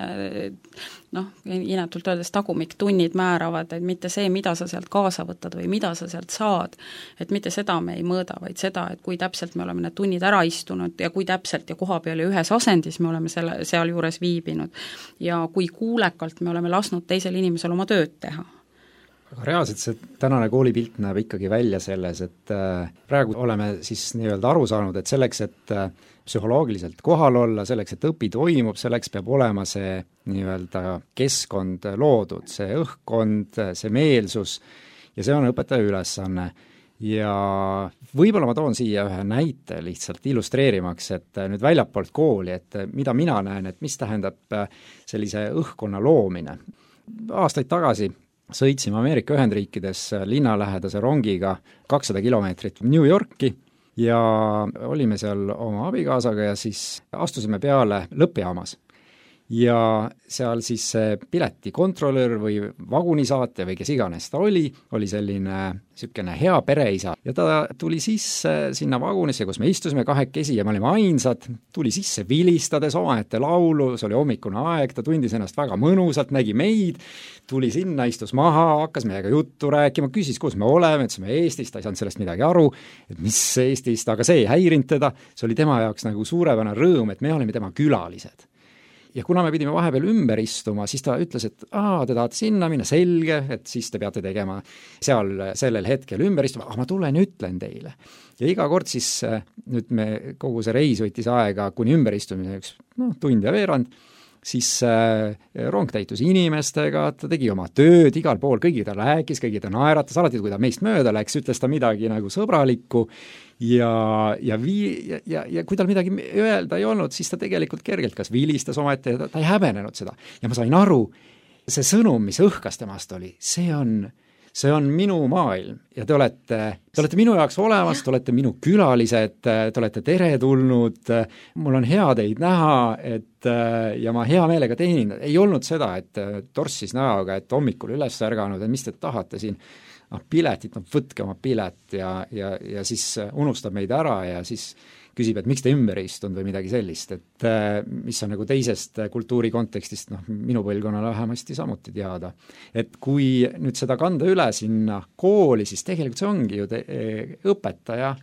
noh, inetult öeldes tagumiktunnid määravad, et mitte see, mida sa sealt kaasa võtad või mida sa sealt saad, et mitte seda me ei mõõda, vaid seda, et kui täpselt me oleme need tunnid ära istunud ja kui täpselt ja koha peal ja ühes asendis me oleme selle, seal juures viibinud ja kui kuulekalt me oleme lasknud teisel inimesel oma tööd teha. Aga reaalselt see tänane koolipilt näeb ikkagi välja selles, et praegu oleme siis nii-öelda aru saanud, et selleks, et psühholoogiliselt kohal olla, selleks, et õpi toimub, selleks peab olema see nii-öelda keskkond loodud, see õhkkond, see meelsus ja see on õpetaja ülesanne. Ja võib-olla ma toon siia ühe näite lihtsalt illustreerimaks, et nüüd väljapoolt kooli, et mida mina näen, et mis tähendab sellise õhkkonna loomine. Aastaid tagasi sõitsime Ameerika Ühendriikides linnalähedase rongiga kakssada kilomeetrit New Yorki ja olime seal oma abikaasaga ja siis astusime peale lõppjaamas. Ja seal siis see piletikontrolör või vagunisaatja või kes iganes ta oli, oli selline sükene hea pereisa ja ta tuli sisse sinna vagunisse, kus me istusime kahekesi ja me olime ainsad, tuli sisse vilistades omaette laulu, see oli hommikune aeg, ta tundis ennast väga mõnusalt, nägi meid, tuli sinna, istus maha, hakkas meiega juttu rääkima, küsis, kus me oleme, ütlesime Eestist, ta ei saanud sellest midagi aru, et mis Eestist, aga see ei häirinud teda, see oli tema jaoks nagu suurepärane rõõm, et me olime tema külalised. Ja kuna me pidime vahepeal ümber istuma, siis ta ütles, et aa, te tahate sinna minna, selge, et siis te peate tegema seal sellel hetkel ümber istuma, aga ma tulen ja ütlen teile. Ja iga kord siis nüüd me kogu see reis võttis aega kuni ümberistumiseks, noh, tund ja veerand, siis äh, rong täitus inimestega, ta tegi oma tööd igal pool, kõigi ta rääkis, kõigi ta naeratas, alati kui ta meist mööda läks, ütles ta midagi nagu sõbralikku ja, ja, vii, ja, ja, ja kui tal midagi öelda ei olnud, siis ta tegelikult kergelt kas vilistas ometi, ta, ta ei häbenenud seda. Ja ma sain aru, see sõnum, mis õhkas temast oli, see on see on minu maailm ja te olete, te olete minu jaoks olemas, te olete minu külalised, te olete teretulnud, mul on hea teid näha, et ja ma hea meelega teenin. Ei olnud seda, et torssis näoga, et hommikul üles ärganud, et mis te tahate siin, noh, piletit, no võtke oma pilet ja, ja, ja siis unustab meid ära ja siis küsib, et miks te ümber istunud või midagi sellist, et mis on nagu teisest kultuuri kontekstist, noh, minu põlvkonnale vähemasti samuti teada. Et kui nüüd seda kanda üle sinna kooli, siis tegelikult see ongi ju te, õpetaja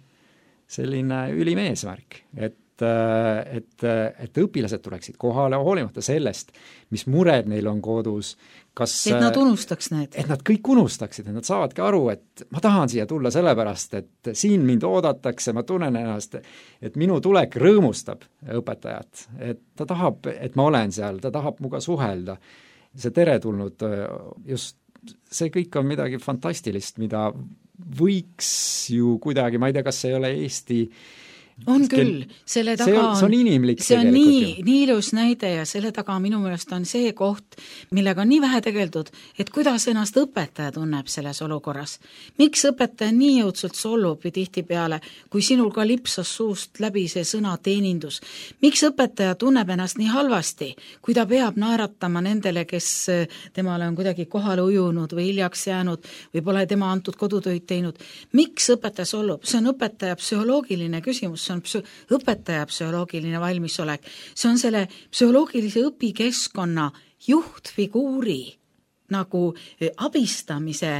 selline ülim eesmärk, et et, et õpilased tuleksid kohale, hoolimata sellest, mis mured neil on kodus, kas et nad unustaks need. Et nad kõik unustaksid, et nad saavadki aru, et ma tahan siia tulla sellepärast, et siin mind oodatakse, ma tunnen ennast, et minu tulek rõõmustab õpetajat, et ta tahab, et ma olen seal, ta tahab muga suhelda. See teretulnud, just see kõik on midagi fantastilist, mida võiks ju kuidagi, ma ei tea, kas see ei ole Eesti on küll, selle taga see on, see on inimlik see on nii, nii ilus näide ja selle taga minu meelest on see koht, millega on nii vähe tegeldud, et kuidas ennast õpetaja tunneb selles olukorras. Miks õpetaja nii jõudsult solvub või tihtipeale, kui sinul ka lipsas suust läbi see sõna teenindus? Miks õpetaja tunneb ennast nii halvasti, kui ta peab naeratama nendele, kes temale on kuidagi kohale ujunud või hiljaks jäänud või pole tema antud kodutöid teinud? Miks õpetaja solvub? See on õpetaja psühholoogiline küsimus, see on psü- õpetaja psühholoogiline valmisolek, see on selle psühholoogilise õpikeskkonna juhtfiguuri nagu abistamise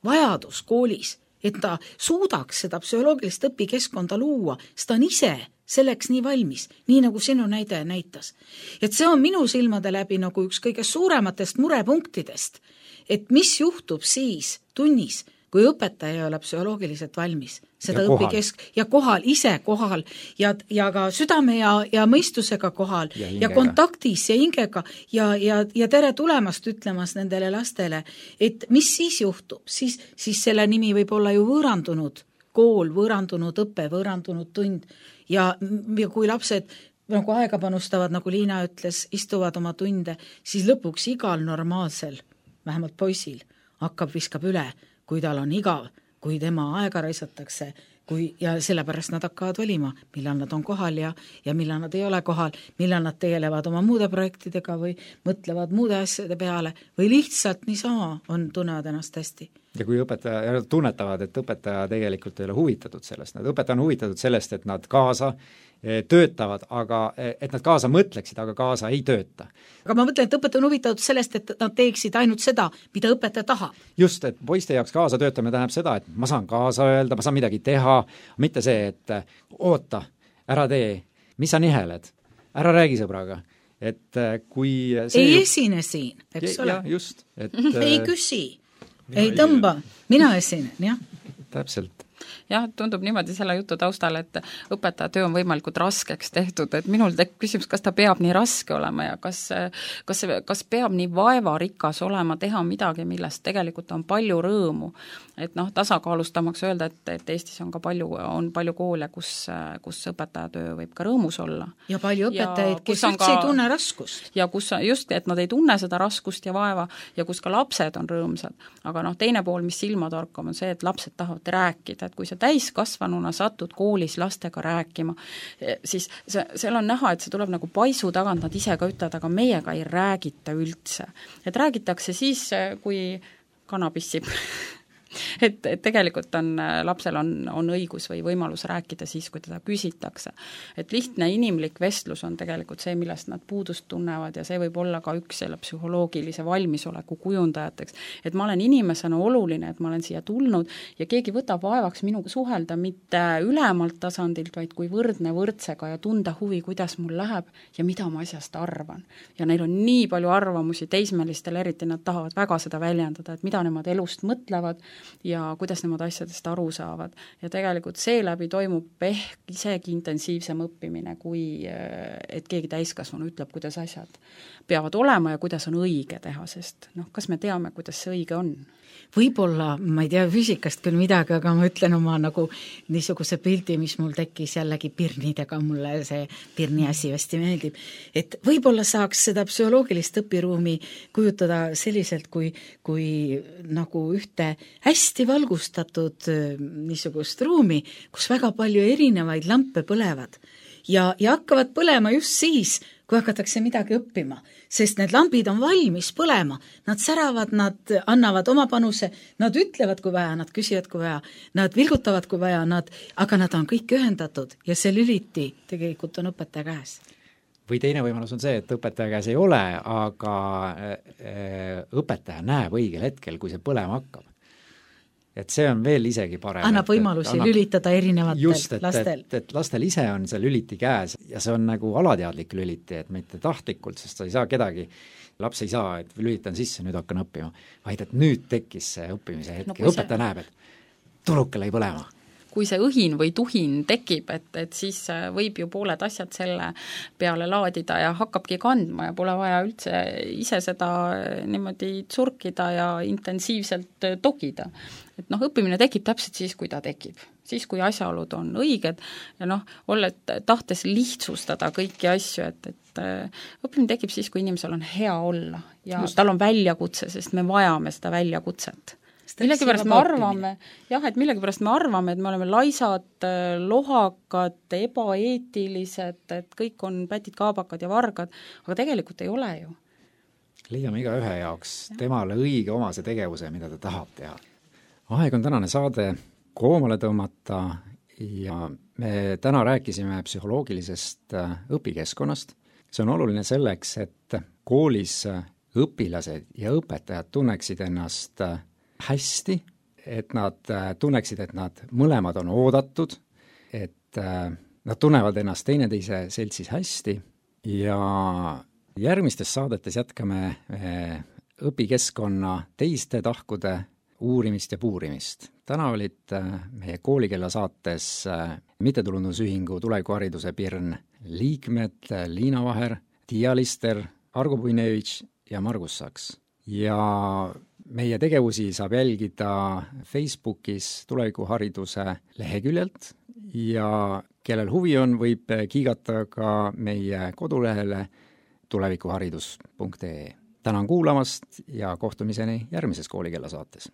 vajadus koolis, et ta suudaks seda psühholoogilist õpikeskkonda luua, sest ta on ise selleks nii valmis, nii nagu sinu näide näitas. Et see on minu silmade läbi nagu üks kõige suurematest murepunktidest, et mis juhtub siis tunnis, kui õpetaja ei ole psühholoogiliselt valmis, seda ja õpikesk ja kohal, ise kohal ja, ja ka südame ja, ja mõistusega kohal ja, ja kontaktis ja hingega ja, ja, ja tere tulemast ütlemas nendele lastele, et mis siis juhtub, siis, siis selle nimi võib olla ju võõrandunud kool, võõrandunud õpe, võõrandunud tund ja, ja kui lapsed nagu aega panustavad, nagu Liina ütles, istuvad oma tunde, siis lõpuks igal normaalsel, vähemalt poisil, hakkab, viskab üle, kui tal on igav, kui tema aega raisatakse, kui, ja sellepärast nad hakkavad valima, millal nad on kohal ja, ja millal nad ei ole kohal, millal nad tegelevad oma muude projektidega või mõtlevad muude asjade peale või lihtsalt niisama on, tunnevad ennast hästi. Ja kui õpetaja tunnetavad, et õpetaja tegelikult ei ole huvitatud sellest, nad õpetaja on huvitatud sellest, et nad kaasa töötavad, aga et nad kaasa mõtleksid, aga kaasa ei tööta. Aga ma mõtlen, et õpetaja on huvitatud sellest, et nad teeksid ainult seda, mida õpetaja tahab. Just, et poiste jaoks kaasa töötamine tähendab seda, et ma saan kaasa öelda, ma saan midagi teha, mitte see, et oota, ära tee, mis sa niheled, ära räägi sõbraga. Et kui see ei ju... esine siin, eks ja, ole. Ja, just, et... ei küsi, ei tõmba, mina esinen, jah. Täpselt. Jah, tundub niimoodi selle jutu taustal, et õpetaja töö on võimalikult raskeks tehtud, et minul tekib küsimus, kas ta peab nii raske olema ja kas, kas, kas peab nii vaevarikas olema teha midagi, millest tegelikult on palju rõõmu. Et noh, tasakaalustamaks öelda, et, et Eestis on ka palju, on palju koole, kus, kus õpetaja töö võib ka rõõmus olla. Ja palju õpetajaid, kes üldse ka, ei tunne raskust. Ja kus just, et nad ei tunne seda raskust ja vaeva ja kus ka lapsed on rõõmsad. Aga noh, teine pool, mis silma torkab, on see, et lapsed tahavad rääkida, et kui sa täiskasvanuna satud koolis lastega rääkima, siis see, seal on näha, et see tuleb nagu paisu tagant, nad ise ka ütlevad, aga meiega ei räägita üldse. Et räägitakse siis, kui kana pissib. Et, et tegelikult on, lapsel on, on õigus või võimalus rääkida siis, kui teda küsitakse. Et lihtne inimlik vestlus on tegelikult see, millest nad puudust tunnevad ja see võib olla ka üks selle psühholoogilise valmisoleku kujundajateks. Et ma olen inimesena oluline, et ma olen siia tulnud ja keegi võtab vaevaks minuga suhelda mitte ülemalt tasandilt, vaid kui võrdne võrdsega ja tunda huvi, kuidas mul läheb ja mida ma asjast arvan. Ja neil on nii palju arvamusi teismelistel, eriti nad tahavad väga seda väljendada, et mida nemad elust mõtlevad ja kuidas nemad asjadest aru saavad. Ja tegelikult seeläbi toimub ehk isegi intensiivsem õppimine, kui et keegi täiskasvanu ütleb, kuidas asjad peavad olema ja kuidas on õige teha, sest noh, kas me teame, kuidas see õige on? Võib-olla, ma ei tea füüsikast küll midagi, aga ma ütlen oma nagu niisuguse pildi, mis mul tekkis jällegi pirnidega, mulle see pirni asi hästi meeldib, et võib-olla saaks seda psühholoogilist õpiruumi kujutada selliselt, kui, kui nagu ühte hästi valgustatud niisugust ruumi, kus väga palju erinevaid lampe põlevad ja, ja hakkavad põlema just siis, kui hakatakse midagi õppima, sest need lambid on valmis põlema, nad säravad, nad annavad oma panuse, nad ütlevad, kui vaja, nad küsivad, kui vaja, nad vilgutavad, kui vaja, nad, aga nad on kõik ühendatud ja see lüliti tegelikult on õpetaja käes. Või teine võimalus on see, et õpetaja käes ei ole, aga õpetaja näeb õigel hetkel, kui see põlema hakkab. et see on veel isegi parem. annab et, võimalusi annab, lülitada erinevatel just, et, lastel. et, et lastel ise on see lüliti käes ja see on nagu alateadlik lüliti, et mitte tahtlikult, sest sa ei saa kedagi, laps ei saa, et lülitan sisse, nüüd hakkan õppima, vaid et nüüd tekkis see õppimise hetk no, ja õpetaja see... näeb, et tuluke lõi põlema. Kui see õhin või tuhin tekib, et, et siis võib ju pooled asjad selle peale laadida ja hakkabki kandma ja pole vaja üldse ise seda niimoodi tsurkida ja intensiivselt togida. Et noh, õppimine tekib täpselt siis, kui ta tekib. Siis, kui asjaolud on õiged ja noh, olles tahtes lihtsustada kõiki asju, et, et õppimine tekib siis, kui inimesel on hea olla ja Just. tal on väljakutse, sest me vajame seda väljakutset. Millegipärast me arvame, jah, et millegipärast me arvame, et me oleme laisad, lohakad, ebaeetilised, et kõik on pätid, kaabakad ja vargad, aga tegelikult ei ole ju. Leiame iga ühe jaoks temale õige omase tegevuse, mida ta tahab teha. Aeg on tänane saade koomale tõmmata ja me täna rääkisime psühholoogilisest õpikeskkonnast. See on oluline selleks, et koolis õpilased ja õpetajad tunneksid ennast hästi, et nad tunneksid, et nad mõlemad on oodatud, et nad tunnevad ennast teineteise seltsis hästi ja järgmistes saadetes jätkame õpikeskkonna teiste tahkude uurimist ja puurimist. Täna olid meie koolikella saates mittetulundusühingu Tulevikuhariduse Pirn liikmed Liina Vaher, Tiia Lister, Argo Puinevitš ja Margus Saks. Ja meie tegevusi saab jälgida Facebookis Tulevikuhariduse leheküljelt ja kellel huvi on, võib kiigata ka meie kodulehele tulevikuharidus punkt ee. Tänan kuulamast ja kohtumiseni järgmises koolikella saates.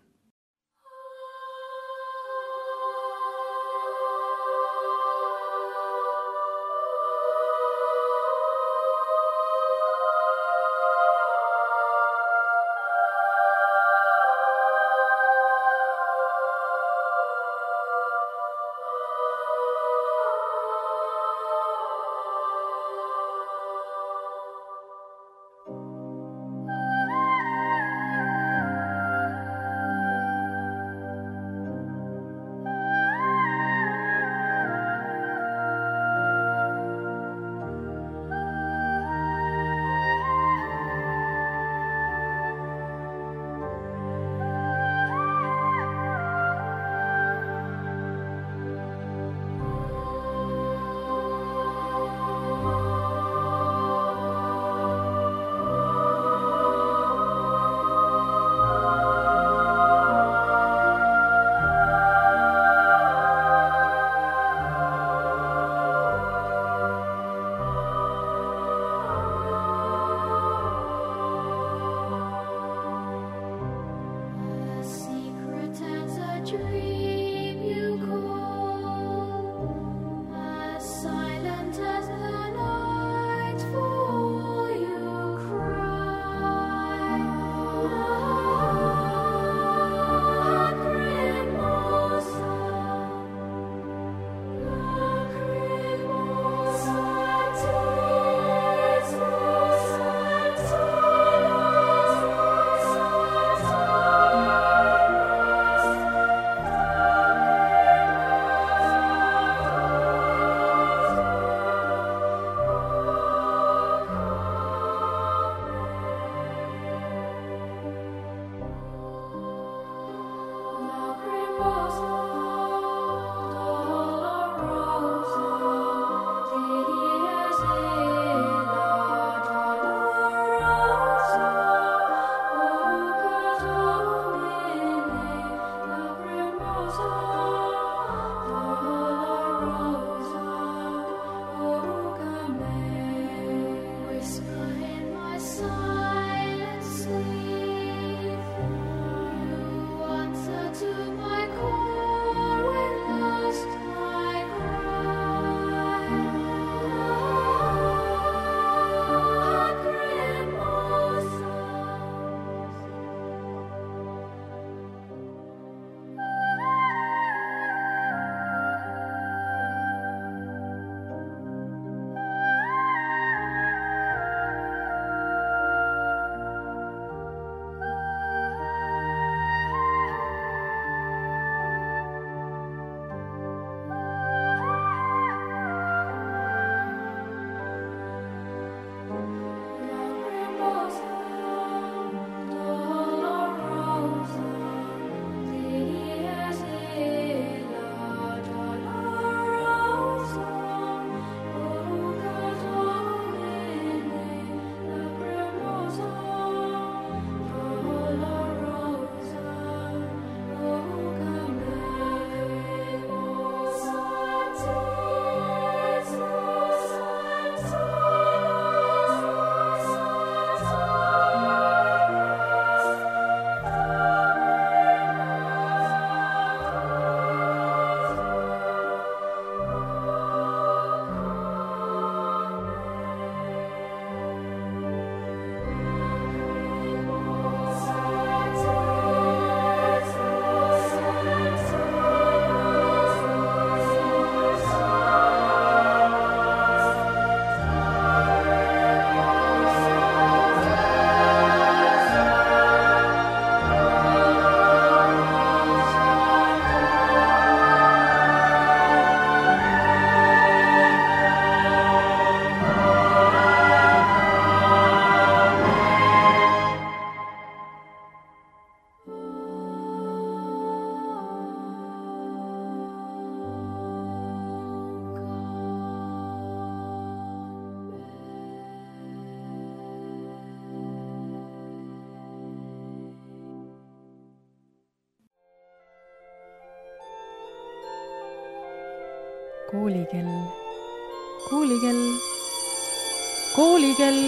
koolikell, koolikell, koolikell.